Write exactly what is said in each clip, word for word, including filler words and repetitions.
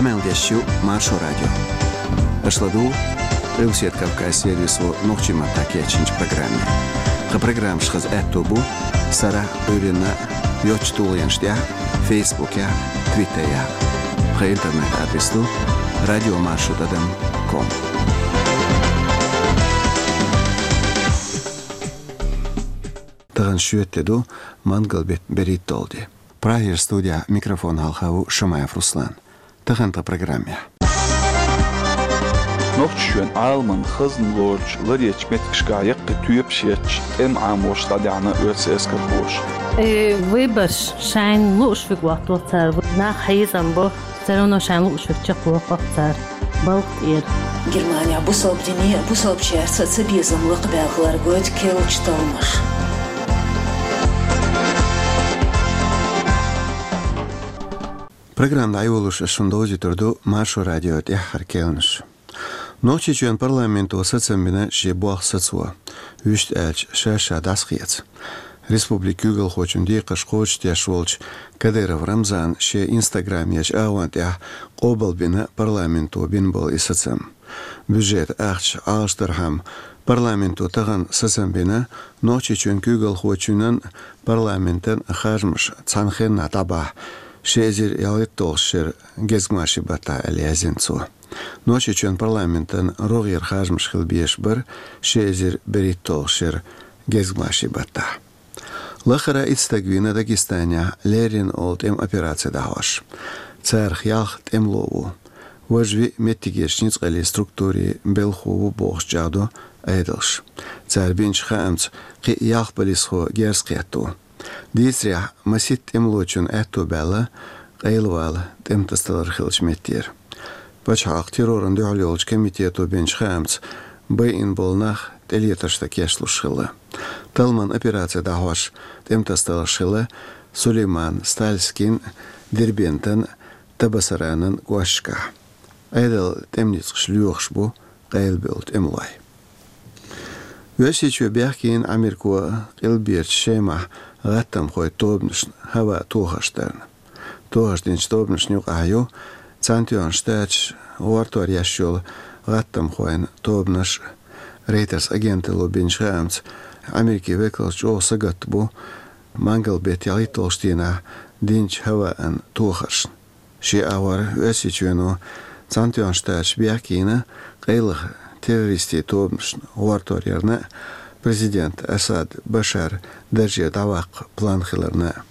Къамел деш ю Маршо радио. Аша ладугӀу Къилбаседа Кавказан сервисо нохчийн маттахь кечйинчу программе. Тхан программаш хаза аьтто бу сарахь а, Ӏуьйранна а йоцачу тулгӀенаш тӀехь а, Фейсбукехь а, Твиттерехь а. Тхан интернет-адрес ду радиомаршо тӀадам ком. Тахана шоьтан де ду, мангал-беттан берхӀитталгӀа де. Прагера студехь микрофон хьалха ву Шамаев Руслан. Тахана тхан программехь. Нохчийчоьнан Ӏаламан хазна лоручу ларъечу меттигашкахь яккхий тоьпаш етташ, тӀеман Ӏамош дӀадаьхьна оьрсийн эскархоша. Э, выбораш шайна лууш верг хӀоттаво цара, нах хьийзам бо, всё равно шайна лууш верг чекхвоккху цара балха тӀера. Германехь бусалба дине а, бусалбачаьрца а цабезам лакхабаьлла хилар гойту керлачу талламаша. Программа дӀайолош ас шуна довзуьйтур ду Маршо радион тӀаьххьара керланаш. Нохчийчоьнан парламенто сацам бина шен болх сацо, вуьшта аьлча, ша-ша дӀасакхечо. Республикан куьйгалхочун декхарш кхочушдеш волчу Кадыров Рамзана шен Instagram ечу агӀон тӀехь къобалбина парламенто бина болу и сацам. Бюджетан ахча Ӏалашдархьама парламенто тахана сацам бина, Нохчийчоьнан куьйгалхочунна парламентан харжамаш цхьана хеннахь дӀабахьа, ши эзар ялхитталгӀачу шеран гезгмашин баттахь, аьлла яздина цо. Нохчийчоьнан парламентан рогӀера харжамаш хила безаш бара ши эзар берхӀитталгӀачу шеран гезгмашин баттахь. Лахара итт стаг вийна Дагестанехь леррина олу тӀеман операци дӀахьош. Царах ялх тӀемало ву. Важа виъ меттигерчу ницкъаллин структурийн белхахо ву бохуш чӀагӀдо Ӏедалша. Цара бинчу хаамца, кхин а ялх полисхо герз кхетта ву. Дийцарехь, масийтта тӀемалочунна аьтто баьлла къайлавала тӀеман тасадалар хиллачу меттера. Пачхьалкхан террорна дуьхьал йолчу комитето бинчу хаамца, байина болу нах тӀелетарш дан кечлуш хилла. Талламан операци дӀахьош тӀеман тасадаларш хилла Сулейман-Стальскин, Дербентан, Табасаранан кӀошташкахь. Ӏедалан тӀеман ницкъаш лоьхуш бу къайлабевлла тӀемалой. Оьрсийчоь бехкийна Ӏамерко Къилберчу Шемахь гӀаттамхойн тобанашна хӀаваан тохарш дарна. Тохарш динчу тобанашна юкъахь ю Цхьаьнатоьхна Штаташ гӀортор еш йолу гӀаттамхойн тобанаш. Рейтерс агенталло бинчу хаамца, Ӏамеркин векалш чӀогӀа сагатта бу мангал-беттан ялхитталгӀачу дийнахь динчу хӀаваан тохаршна. Шен агӀор Оьрсийчоьно Цхьаьнатоьхна Штаташ бехкийна къайлаха террористийн тобанашна гӀортор ярна а, президент Асад Башар даржера дӀаваккха план хиларна а.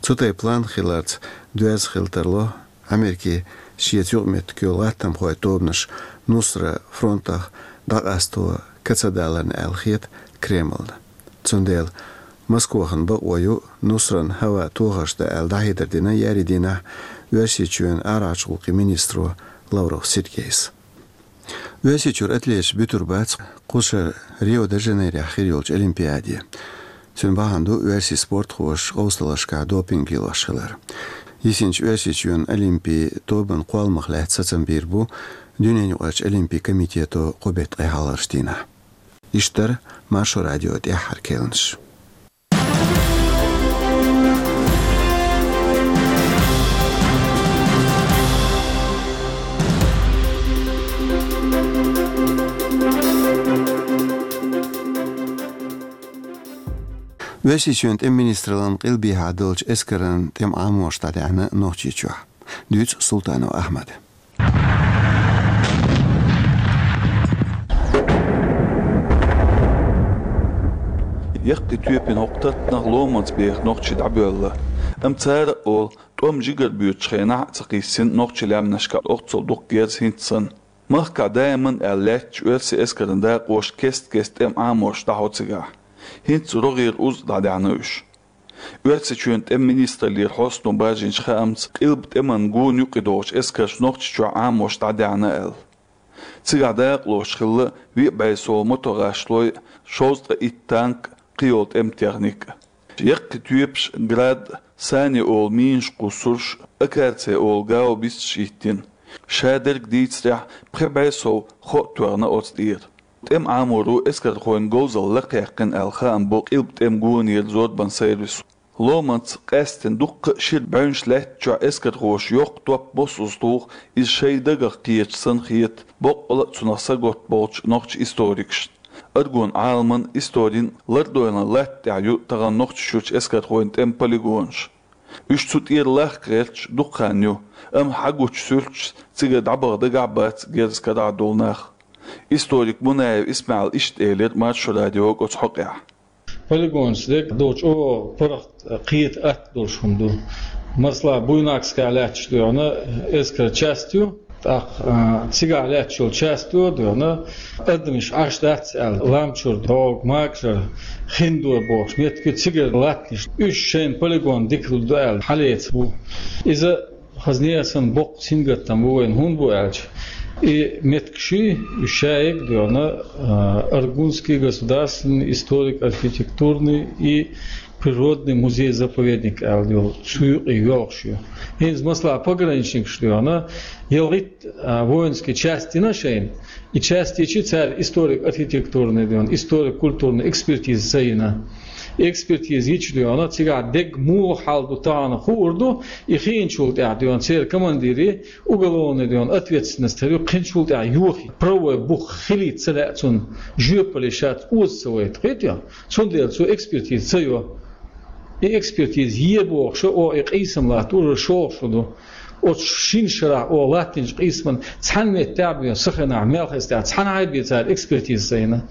Цу тайпа план хиларца доьзна хила тарло Ӏамеркин шеца юкъаметтиг йолу гӀаттамхойн тобанаш Нусра фронтах дӀакъасто кацадаларна аьлла хета Кремльна. Цундела Москвахна бакъо ю Нусрана хӀаваан тохарш дан аьлла дӀахьедар дина еарин дийнахь Оьрсийчоьнан арахьарчу гӀуллакхийн министро Лавров Сергейс. Оьрсийчуьра атлеташ буьтур бац кху шарахь Рио-де-Жанейрохь хир йолчу Олимпиаде. Цуьнан бахьана ду оьрсийн спортхоша къовсаллашкахь допинг лелош хилар. Йисинчу Оьрсийчоьнан Олимпийн тобанан кхолламах лаьцна сацам бийр бу дуьненаюкъарчу Олимпийн комитето кху беттан ткъе хьалхарчу дийнахь. Иштта дара Маршо радион тӀаьххьара керланаш. Оьрсийчоьнан тӀеман министраллин къилбехьа долчу эскаран тӀеман Ӏамош дӀадаьхьна Нохчийчохь. Дуьйцу Султанов Ахьмада. Яккхий тоьпан хӀокху таттанах ломанца беха нохчий дӀабоьлла. Амма цара а олу, тӀом жигара боьдучу хенахь а ца кхиссина нохчийн лаьмнашкахь оццул дукха герз хӀинца санна. Махкахь даиман аьлла лаьттачу оьрсийн эскаран дакъоша кест-кеста тӀеман Ӏамош дӀахьо цигахь. ХӀинца рогӀера уза дӀадаьхьна уьш. Оьрсийчоьнан тӀеман министраллера хьостано баржийначу хаамца, къилба тӀеман гонан юкъа догӀучу эскарша Нохчийчохь Ӏамош дӀадаьхьна аьлла. Цигахь дакъалоцуш хилла виъ бӀе сов мотогӀашлой, шовзткъе итт танк, кхин йолу тӀеман техника. Яккхий тоьпаш Град, Сани олу минаш кхуссурш, Акарций олу гаубицаш йиттина. Шадерг дийцарехь, пхи бӀе сов хо а тоьхна оцу тӀера. ТӀеман Ӏаморо эскархойн говзалла лакхаяьккхина аьлла хаам бо къилба тӀеман гонера зорбанан сервисо. Ломанца къаьстина дуккха а шира бӀаьвнаш лаьтта чохь эскархоша йоккха топ босса узтулах иза шайн дагах кхеташ санна хета боккъала а цунах саготта болчу нохча историкашна. Аргун Ӏаламан, историн лардойла латта тӀехь ю тахана Нохчийчуьрчу эскархойн тӀеман полигонаш. Уьш цу тӀера лахка гӀерташ дукха хан ю, амма хьагучу суьрташца цигара дӀабаха дагахь а бац герз карахь долу нах. Историк Мунаев ИсмаӀала иштта элира Маршо радиога оцу хьокъехь. Полигонаш дерг долчу чӀогӀа паргӀат кхета атта долуш хӀума ду. Масала, Буйнакскехь лаьтташ доьгӀна эскар часть ю, тӀаккха, а, цигахь лаьтташ йолу часть ю доьгӀна, адамаш Ӏаш дац аьлла, лам чуьра догӀу, макажара, хиндо бохуш меттиг ю, цигара латтанаш. Уьш шайна полигон дика ду аьлла, хьалеца бу. Иза хазне а санна боккха сингаттам бу вайна, хӀунда бу аьлча, и меттигаш, уьш шайга доьгӀна, а, Аргунский государственный историко-архитектурный и природный музей-заповедник аьлла йолу, цу юкъе йоьлхуш ю. ХӀинца, масала, пограничникаш доьгӀна, ялхитта, а, воинский часть йина шайна, и часть йича цара историко-архитектурный доьгӀна, историко-культурный экспертиза ца йина. Экспертиза йича доьгӀна, цигахь дерг муха хьал ду тахана хуур ду, и хиъначул тӀаьхьа доьгӀна, церан командире уголовный доьгӀна ответственность хир ю, кхиъначул тӀаьхьа йохий, правовой бух хилийта ца лаьа цунна, жоьпалле шаьш оза ца вайта, кхетий? Цундела цо экспертиза ца йо. И экспертиза е бохуш, о, и къийсам латта ура шолгӀа шу ду. Оцу шина шарахь, о, латтинчу къийсаман цхьана меттехь а бен, саханахь, мел хестехь, цхьана хьайбе цара экспертиза ца йина.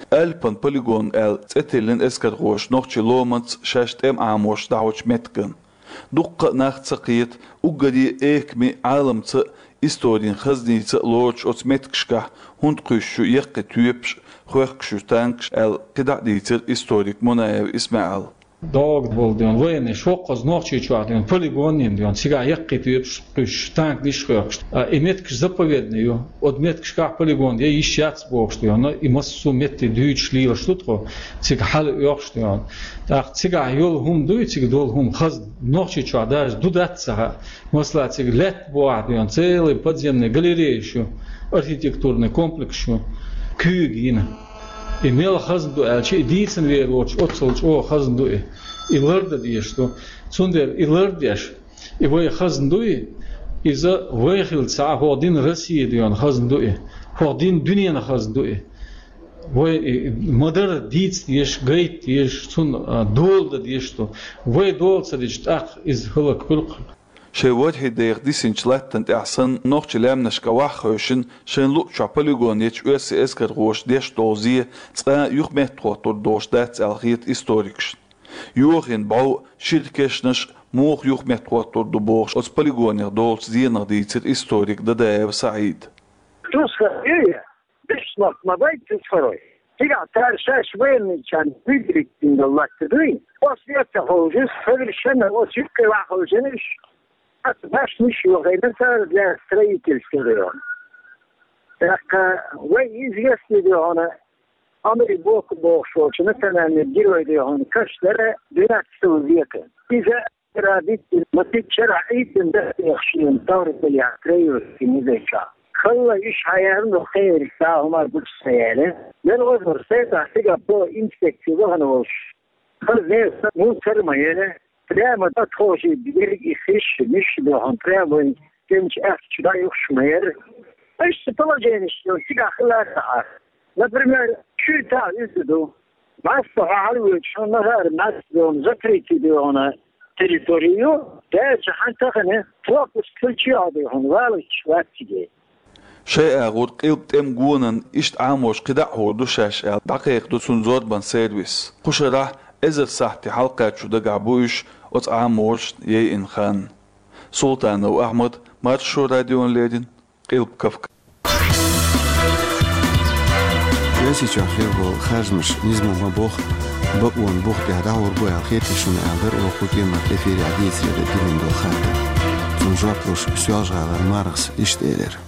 Альпан полигон аьлла цӀе тиллина эскархоша нохчий ломанца шаьш тӀем Ӏамош дӀахьочу меттиган. Дуккха а нах ца кхета, уггаре а экаме а, Ӏаламца а, историн хазница а лоруш оцу меттигашкахь хӀунда кхуьйсуш ю яккхий тоьпаш а, хоьхкуш ю танкаш аьлла, кхидӀа а дийцира историк Мунаев ИсмаӀала. ДогӀу болу ден, военный, шоккхаза Нохчийчохь ден, полигон йина ден, цигахь яккхий тоьпаш кхуьйсуш, танкаш а хоьхкуш. А, и меттигаш заповедный ю, оцу меттигашкахь полигон я йиш яц бохуш ден, и массо а метте дуьйцуш лелаш ду тхо, цига хьала оьхуш ден. ТӀаккха цигахь йолу хӀума дуй, цига долу хӀума хазна, Нохчийчохь даже ду дац ца хаьа. Масала, цига лаьтта бохьа ден, целый подземный галереяш ю, архитектурный комплекс ю, куьйга йина. И мел хазна ду аьлча, и дийцина вер воцуш, оццул чӀогӀа хазна ду и. И лардан дезаш ду. Цундела и лардеш, и вай хазна дуй, иза вай хилла ца Ӏа, хӀокху дийнан Россия ден хазна ду и. ХӀокху дийнан дуьненан хазна ду и. Вай и ма-дарра дийца дезаш, гайта дезаш, цунна, а, дола дан дезаш ду. Вай дола ца дича, тӀаккха иза хӀаллакьхуьлу-кх. Шайн ворхӀе деха дисинчу латтана тӀехь санна, нохчийн лаьмнашкахь ваха хевшина, шайн луъучохь полигон ечу оьрсийн эскархоша деш долу зе цкъа а юхаметтахӀоттур долуш дац аьлла хета историкашна. Йохийна бӀов а, шира кешнаш а муха юхаметтахӀоттур ду бохуш, оцу полигонех долучу зенах дийцира историк Дадаев СаӀида. Тусхьа юй, беш нах ма бай тусхьарой. Цигахь цара шаьш военныйчарна выбрать дина долу латта дуй. Оцу лаьтта хьовжуш, совершенно оцу юккъе ваха хьовжина уьш. Аса башниш йохийна цара для строительства района. ТӀаккха вай известный ду хьуна, Анри Боку бохуш волчу национальный герой ду хьуна, каш дара двенадцатого века. Иза Ара дитина, ма дитчара Ӏийттина датдехаш шена таврталехь троюрский музейчохь. Халла иш хьаярна кхериг цхьа хӀума гучу ца яьлла. Мел озур сайтахь цига по инспекции вахана волуш. Хаза неса муцар а ма яра. Прямо тӀатхожий дерг и хиш, миш дохан, прямо вайн стенчу аьхчу дӀаюхуш ма яра. Иштта положениш цигахь хилар а. Например, чуьйтахь иза ду. Массо хьалавоьдуш, хьуна нахара массо запретить ду хьуна территорию, дайча хьан тахана пропуск хилча а ду хьуна, валучча вацциге. Шайн агӀор Къилба тӀеман гонан иштта Ӏамош кхидӀа а хӀур ду шаьш аьлла, дӀакхайкхадо цунна зорбан сервис. Кху шарахь эзар сахьте хьалакхаччо дагахь бу уьш оцу Ӏамошна яйина хан. Султанов Ахьмад, Маршо радиона леррина, Къилба Кавказ. Оьрсийчохь хир болу харжамаш низамо ма боху, бакъонан бух тӀехь дӀахьур бу аьлла хетий шуна аьлла дара оха кху кӀиранах эфирехь дийцаре диллина долу хаттар. Цунна жоп луш, Соьлжа-ГӀалара Мархас иштта элира.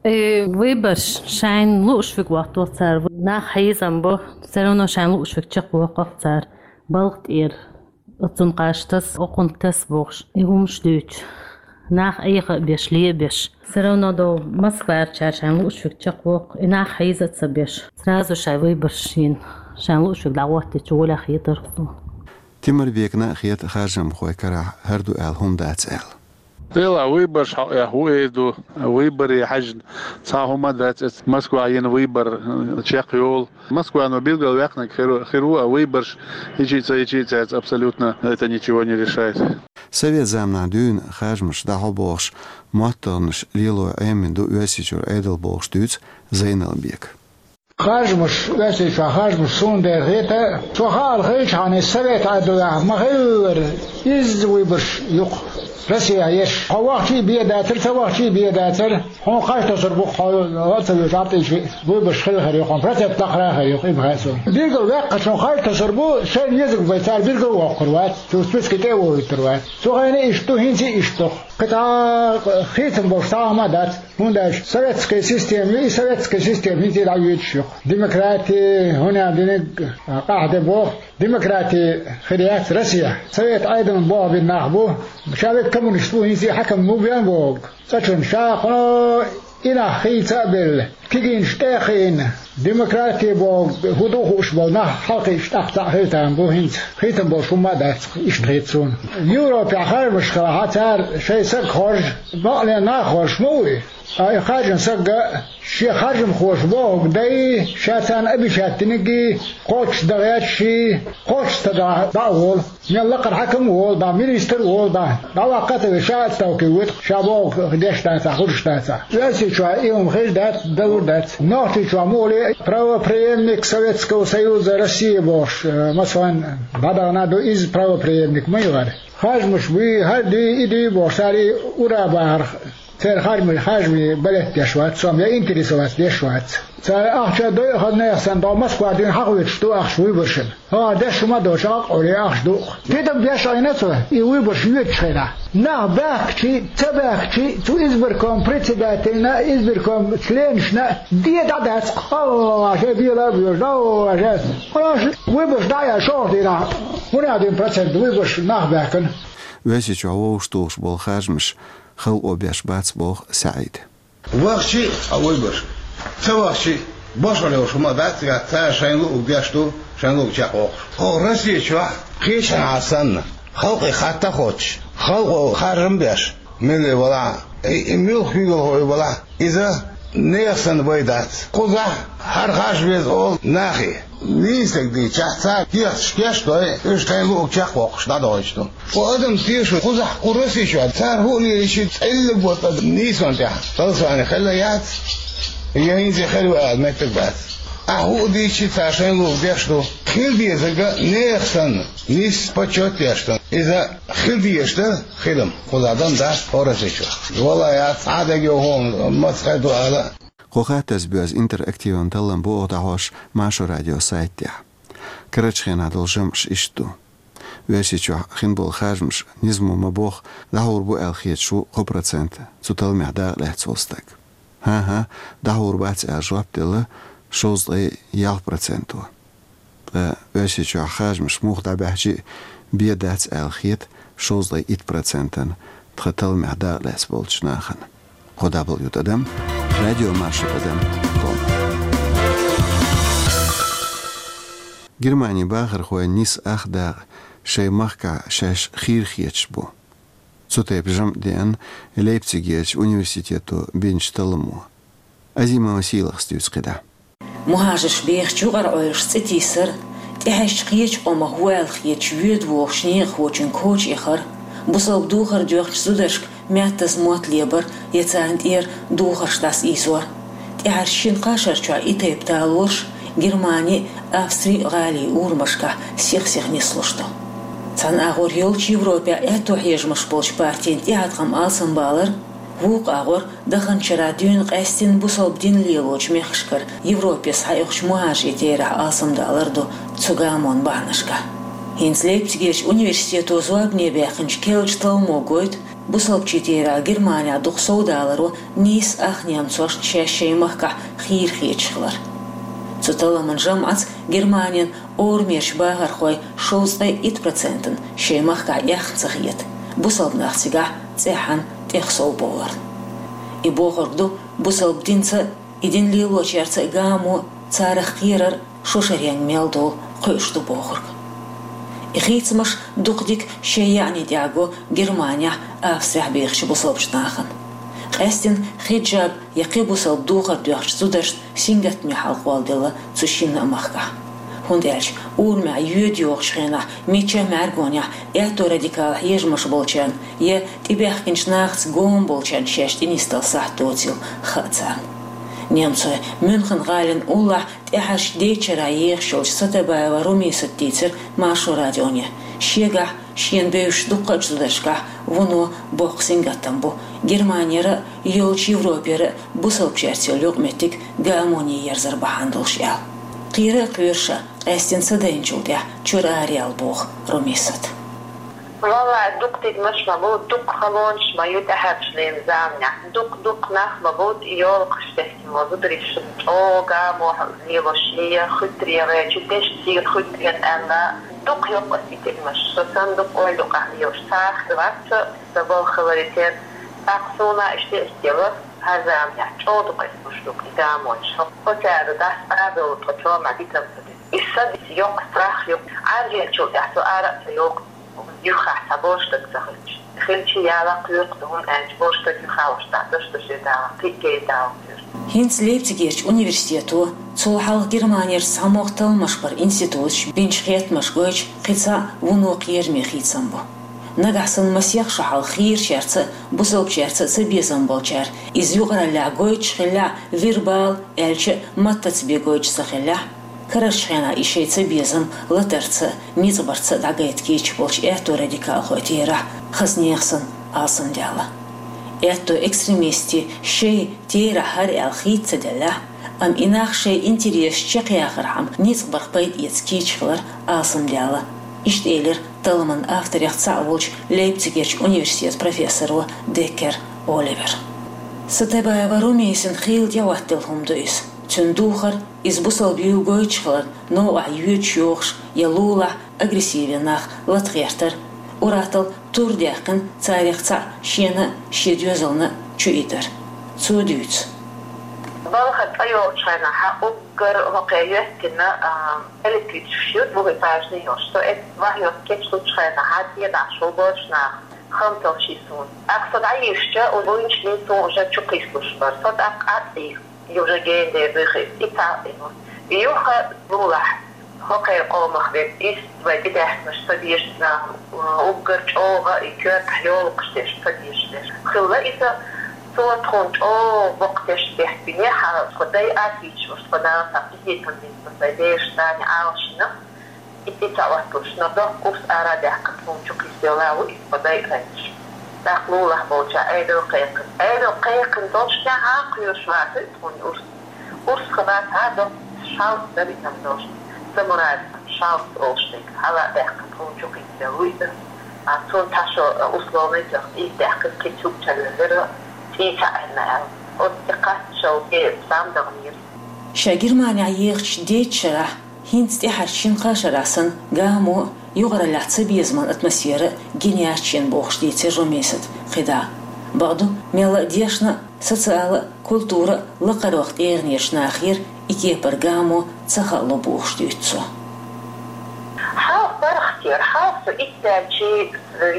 Э, выбораш шайна лууш верг вахтал цара. Нах хьийзам бо, всё равно шайна лууш верг чекхвоккху цара. Балха тӀера. Оцунна кхаж таса, окхунна таса бохуш, и хӀумаш дуьйцу. Нах Ӏеха а беш, ле а беш. Всё равно до Москварчара шайна лууш верг чекхвоккху, и нах хьийза а ца беш. Сразу шайн выбораш йина, шайна лууш верг дӀагӀоттийча, гӀолехь хетарх суна. Тимирбекна а хета харжамхой карахь хӀара ду аьлла хӀума дац аьлла. Делахь выбораш хьаэха ву эр ду, выбораш хьаьжна цхьа хӀума дац, эца Москва йина выбор чекхйолу. Москвано билгал ваьккхинарг хир, хир ву, а выбораш хӀинца а, хӀинца а цаьрца абсолютно это ничего не решает. Совет заманахь дуьйна харжамаш дӀахьо бохуш, моттаргӀанаш лело Ӏемина ду Оьрсийчуьра Ӏедал бохуш дуьйцу Зайналбека. Харжамаш, Оьрсийчохь харжамаш суна дера хета, цо хаалахь хилчхьана, совет Ӏедалехь ма-хиллара, изза выбораш ю-кх Россехь еш. Хьо вахча а бен дацара, ца вахча а бен дацара. Хьуна харж тосур бу-кх, хьо ла а ца вуьйцу Ӏаптӏийчи, выбораш хила хир ю-кх, процент лакхара а хир ю-кх, и бахьа а суна. Билгал ваьккхинчунна харж тосур бу, шайна езарг бен цара билгал а воккхур вац, цу списке тӀе а вохуьйтур вац. Цу хенахь иштта ду, хӀинца а иштта ду-кх. Кхин цхьа хийцам болуш цхьа а хӀума дац. ХӀунда аьлча советская система ю, и советская система хӀинца а дӀавоьдуш ю-кх. Демократи, хӀунда диниг къахьде боху, демократи хир яц Россехь. Совет Ӏедална болх бина нах бу, ша верг коммунист ву, хӀинца а хьаькам ма бен бохург. Цкъачунна ша кхуьнан и нах хийца а белла, кегийнаш тӀе а кхиъна, демократи бохург хӀун ду хууш болу нах хьалакхиъча тӀаккха цхьаъ хила тарлуш бу хӀинца. Хийцам болуш хӀумма а дац, иштта хета суна. Европехь харжамаш хилахь, цара шайн саг хоржу, бакъ лен нах хоржуш ма вуй. Ткъа и харжина саг а шен харжамхоша бохург дай, ша царна обещать динарг а кхоччуш дан гӀерташ а, кхоччуш ца дахь дӀа а волу. Мел лакхара хьаькам а волу дӀа, министр а волу дӀа, дӀаваккха а ца веза, ша отставке воьду-кх, ша бохург деш дацахь, хууш дацахь. Оьрсийчохь и хӀума хезаш дац, далур дац. Нохчийчохь муха ле правопреемник Советского Союза России бохуш, э, масалан, дӀадахана ду, изза правопреемник ма ю хӀара. Харжамаш буй, хӀара дуй, и дуй бохуш, цара и ура бахарх, церан харжамийн, харжамийн балет деш вац, сом я интересоваться деш вац. Цара ахча дойъу хаза нехан санна, дӀо Москва дуьйна хьахоьцуш ду ахча выборашна. ХӀара деш хӀума а доцуш, акъоре ахча ду-кх. Тидам беш Ӏийна цо, и выбораш йоьдучу хенахь. Нах баьхкичи, ца баьхкичи, цу избирком председательна, избирком членашна де дӀа дац, хьо, шайн бела а боьжу, хьо, шайн. Хьо, выбораш дӀа а яьлла шолгӀа дийнахь, хӀун а дуьйна процент выбораш нах баьхкина. Оьрсийчохь вовшахтухуш болу харжамаш халкъо беш бац боху СаӀида. Вахчи а выбораш, ца вахчи а, бошхалла йолуш хӀума дац цигахь, цара шайна луург деш ду, шайна луург чекхбоккхуш. Оха Россия чохь кхечанхьа санна, халкъе хатта а хоттуш, халкъо харжам а беш, милли валахь, и, и муьлхха куьйгалхо валахь, иза нехан санна вай дац. Кхузахь хӀара харжа веза олу нахе. Нийса дийцчахь, цара кехаташ кечдой, уьш шайна луург чекхбоккхуш дӀадохуьйтуш ду. Кху адам тешо кхузахь, кху Россия чохь, цара хӀуъа лелийча цӀеллиг боцу адам нийсонан тӀехь, голосование хилла яц, я хӀинца хир ву аьлла меттиг бац. Ахьа хӀуъа дийцча, цара шайна луург деш ду. Хила дезарг а нехан санна, нийса почёт деш ду. Иза хила дезаш дара хилам, кхузахь дан дац хӀора Россия чохь. Вала яц, Ӏадегайо хӀума маца хир ду ала. Кху хаттарца боьзна интерактиван таллам бу оха дӀахьош Маршо радион сайтехь. Карарчу хенахь долу жамӀаш иштта ду. Оьрсийчохь хин болу харжамаш низамо ма-бохху, дӀахьур бу аьлла хеташ ву кхо процент цу талламехь дакъа лаьцна волу стаг. ХӀан-хӀа, дӀахьур бац аьлла жоп делла шовзткъе ялх проценто. Ткъа Оьрсийчохь харжамаш муха дӀабаьхчи а, бен дац аьлла хета шовзткъе итт процентана тхан талламехь дакъа лаьцна болчу нахана. Кхо дабл ю тӀадам, радио Маршо тӀадам ком. Германин бахархой нийса ах дакъа шайн махкахь шаьш хийра хеташ бу. Цу тайпа жамӀ деана Лейпцигерчу университето бинчу талламо. Азимова Сийлахас дуьйцу кхидӀа. Мухьажарш бехачу юкъара Ӏуьйраш цӀе тийсар, тӀехьаьжча кхечу къомах ву аьлла хеташ воьду вохучу некъахочун коча эхар, бусалба духар доьхначу зударшка маьттаза мотт лебар я царна тӀера духарш дӀасаийзор. ТӀаьхьарчу шина-кхаа шарчохь и тайпа талорш Германи, Австри, гӀали урамашкахь сих-сиха нислуш ду. Цхьана агӀор йолчу Европехь аьтто хьежамаш болчу партийн тӀеӀаткъам алсамбалар, вукху агӀор даханчу шарахь дуьйна къаьсттина бусалба дин лелочу мехкашкара Европе схьаоьхучу мухьажарийн терахь алсамдалар ду цу гамонан бахьанашкахь. ХӀинца Лейпцигерчу университето зорбане баьккхинчу керлачу талламо гойту, бусалбачийн терахь Германехь дукха совдаларо нийса ах немцошна шаьш шайн махкахь хийра хеташ хилар. Цу талламан жамӀаца Германин орамерчу бахархой шовзткъе итт процентана шайн махкахь эхна ца хета, бусалба нах цигахь цӀеххьана тӀех сов бовларна. И бохург ду, бусалба динца а, и дин лелочаьрца а гамо, царах кхерар шо шаренга мел долу кхуьуш ду бохург. И хийцамаш дукха дика шоай яьӀни тӀехь го Германехь, Австрехь бехачу бусалбачу нахана. Къаьсттина хиджаб я кхин бусалба духар доьхначу зударшна сингаттаме хьал кхолладелла цу шинна а махкахь. ХӀунда аьлча урамехь йоьду йогӀучу хенахь мичча а мӀаьргонехь аьтто радикал хьежамаш болчарна я тӀебаьхкинчу нахаца гома болчарна шаьш тӀенисдала сахьт доцийла хаьа царна. Немцойн Мюнхен-гӀалин уллохь тӀаьхьарчу дейтта шарахь ехаш йолчу Сатабаева Румисата дийцира Маршо радионе. Шегахь, шена бевзачу дуккха а зударшкахь вуно боккха сингаттам бу Германера а, йолчу Европера а бусалбачаьрца йолу юкъаметтиг гамоне ерзар бахьана долуш аьлла. Кхера а кхоьру ша, къаьсттина ца дайначул тӀаьхьа чуьра араяла, боху Румисата. Валлахь, дукха тидамаш ма бу, дукха халонаш ма ю тӀаьхьарчу леррина заманахь. Дукха-дукха нах ма бу, йолахаш тесна ма бу, зударий шуна чӀогӀа гамо лелош я, хуьттарегӀа, чу дешна сийра хуьттарегӀа аьлла, дукха йоккху аса и тидамаш. Со санна дукха ойла юкъахь лелаш цхьа а хилла вац, сан балха хиларе терра. ТӀаккха суна иштта а йисте ло, хӀара заманахь чӀогӀа дукха эцна луш ду и гамонаш. Оцара дас а долу тхо чомахь дитам ца диту. Иза сан дитта йоккха страх ю. Ӏаржъеллачул тӀаьхьа цо ара а ца йоккху. Юххехь цхьа бош стаг ца хилча. Хилча яла кхоьху, хӀунда аьлча бош стаг юххехь волуш дӀа даш даше дала, кхин а гай дала кхоьху. ХӀинца Лейпцигерчу университето, цул хьалха Германерчу цхьамогӀа талламаш баран институташ бинчу хеттамаш гойтуш, кхин цхьа вуно кхераме хийцам бу. Нагахь санна масех шо хьалха хийрачаьрца а, бусалбачаьрца а цабезам болчара, иза юкъараллехь гойтуш хиллехь а, вербал, аьлча а, маттаца бен гойтуш ца хиллехь а, карарчу хенахь и шайн цабезам латарца а, ницкъ барца а дӀагайта кийча болчу аьтто радикалхойн терахь хаза нехан санна алсамдаьлла. Аьтто экстремистийн шайн терахь хӀара аьлла хийца ца деллехь а, амма и нах шайн интересаш чекхъяхархьама ницкъ барх пайда эца кийча хилар алсамдаьлла. Иштта элира талламан авторех цхьаъ волчу Лейпцигерчу университетан профессоро Деккер Оливера. Сатабаева Румисина хийла тӀехӀоттаделла хӀума ду иза. Цуьнан духар иза бусалба юй гойтуш хиларна, новкъахь йоьдуш йогӀуш я лулахь агрессиве нах латагӀертар, ур-атталла тур даьккхина царах цхьаъ шена а, шен доьзална а чу итар. Цо дуьйцу. Балха цӀа йолчу хенахь уггар хӀокхе йоьттина, а, электричкаш ю, бухи пажни йолуш. Со эцна вахьйот кечлучу хенахь, тӀедахьаш ву бош нах, хамталлаш и суна. ТӀаккха со дӀайижча, уьш буйнаш бен суна уже чу кхийсалуш бара. Со тӀаккха а цӀий. И уже гена дер дуьйхира, и цхьаъ а ю. Юха лулахь, хӀокхеран къомах верг, иштта вай тӀедаьхкинарш ца дезаш нах, уггар чӀогӀа и коьртахь йолакхаш дерш ца дезаш дерш. Хилла иза, цо тхуна чӀогӀа боккха тешнабехк бина, хьан тхо дай а кийча, уьш тхо нана цхьа къинхетам бина, тхо сайн бераш царна Ӏалашйина. И цӀий ца Ӏотталуш, но доккха урс ара а даьккхина, тхуна чу кхийсайола ву иза, тхо дай а хӀоьттуш. ТӀаккха лулахь болчохь Ӏедал кхайкхина. Ӏедал кхайкхина долчу тӀаьхьа кхоьруш вацара иза тхуна урс. Урс хилла цхьа доккха шалц дара иза-м долуш. Самурай шалц олуш дерг. Хьала а даьккхина, тхуна чу кхийсайола ву иза. А цунна цхьа шо условный тоьхна, иза даьккхина, кхин цуьнга чевелира, цӀий ца Ӏелла аьлла. Оцу тӀе кхаччалц зама даханера. Ша Германехь ехачу дейтта шарахь, хӀинца тӀаьхьарчу шина-кхаа шарахь санна, гамо а, юкъараллехь цабезаман атмосфера а гина яц шена, бохуш дийцира Румисата кхидӀа. Бакъду, мелла а дешна а, социала а, культура а лакхарчу тӀегӀанерчу нахера и кепара гамо ца хаало, бохуш дуьйцу цо. Хьалха паргӀатера, хьалха со итт аьлчи,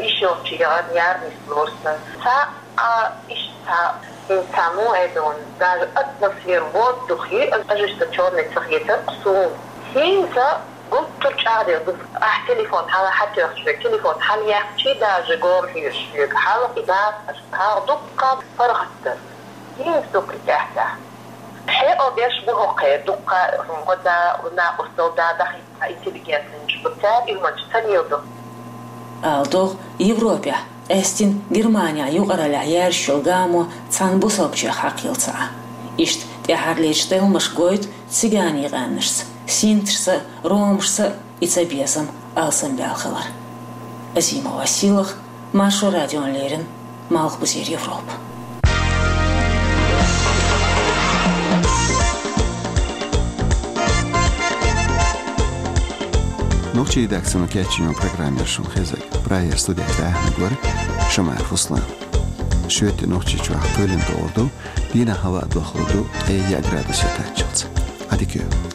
йиш йолчу яхана яра нислора сан. Цхьа А, иштта, хӀинца муха аьлла, даже атмосфера, воздух, ожесточённый ца хетара суна. ХӀинца гуттар а чӀагӀделла ду. Ахь телефон хьала хьатоьхча, телефон хьалаяьккхича, даже гома хьоьжуш хьоьгу. Хьалха и дацара, хьалха дуккха паргӀат дара. ХӀинца дуккха и тӀаьхьа-тӀаьхьа. Хье, о, беш бу хӀокхе, дуккха, гӀо да, накъосталла да, дахийта. Интеллигентнаш бу цара, уьш ма ца леладо. Ала догӀу, Европехь, къаьсттина Германехь юкъараллехь яьржаш йолу гамо цхьана бусалбачех хьакхаелла ца Ӏа. Иштта тӀаьхьарлерчу талламаша гойту циганийн къаьмнашца, синташца, ромашца и цабезам алсамбаьлла хилар. Азимова Силах, Маршо радиона леррина, Малхбузера Европа. Нохчийн редакцино кечйина программа яра шуна хезарг. Прагера студехь даьхниг вара Шамаев Руслан. Шоьтан Нохчийчохь кхоьлина тӀе гӀур ду, дийнахь хӀаваъ дохлур ду ткъе яа градусе кхаччалц. Ӏадика йойла.